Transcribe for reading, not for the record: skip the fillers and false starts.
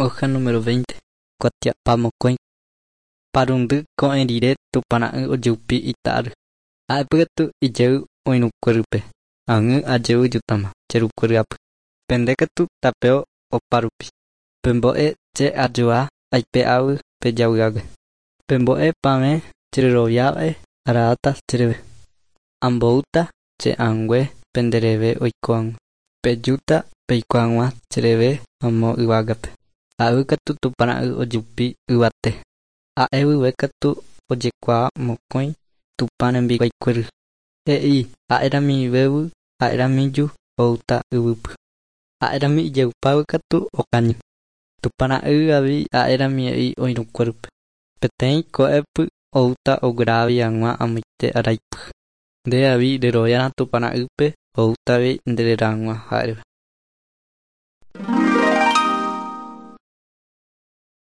Hoja número 20. Kuatiapamokõi. Parundy ko'ẽ rire Tupãra'y ojeupi ita'ary. Ha'épy katu ijey oirũkuérype. Ag̃y ajevy jutama che rukuéryapy. Pende katu tapeo opárupi. Pembo'e che ajoa aipe'águi pe javy'águe. Pembo'e pavẽ chereroviávae araáta chereve. Amboúta che ãngue pendereve oiko hag̃ua. Pejúta peiko hag̃ua chereve amo yvágape. Ha'évy katu Tupãra'y ojupi yvate. Ha'e guive katu ojekuaa mokõi Tupã rembiguaikuéry. He'i ha'eramivévy ha'eramíju oúta yvýpy. Ha'erami ijeupávy katu okañy. Tupãra'y avei ha'erami he'i oirũkuérype. Peteĩ ko'ẽpy oúta oguerahávi hag̃ua amoite araipy. Nde avei reroviárõ Tupãra'ýpe oúta avei ndereraha hag̃ua ha'éva.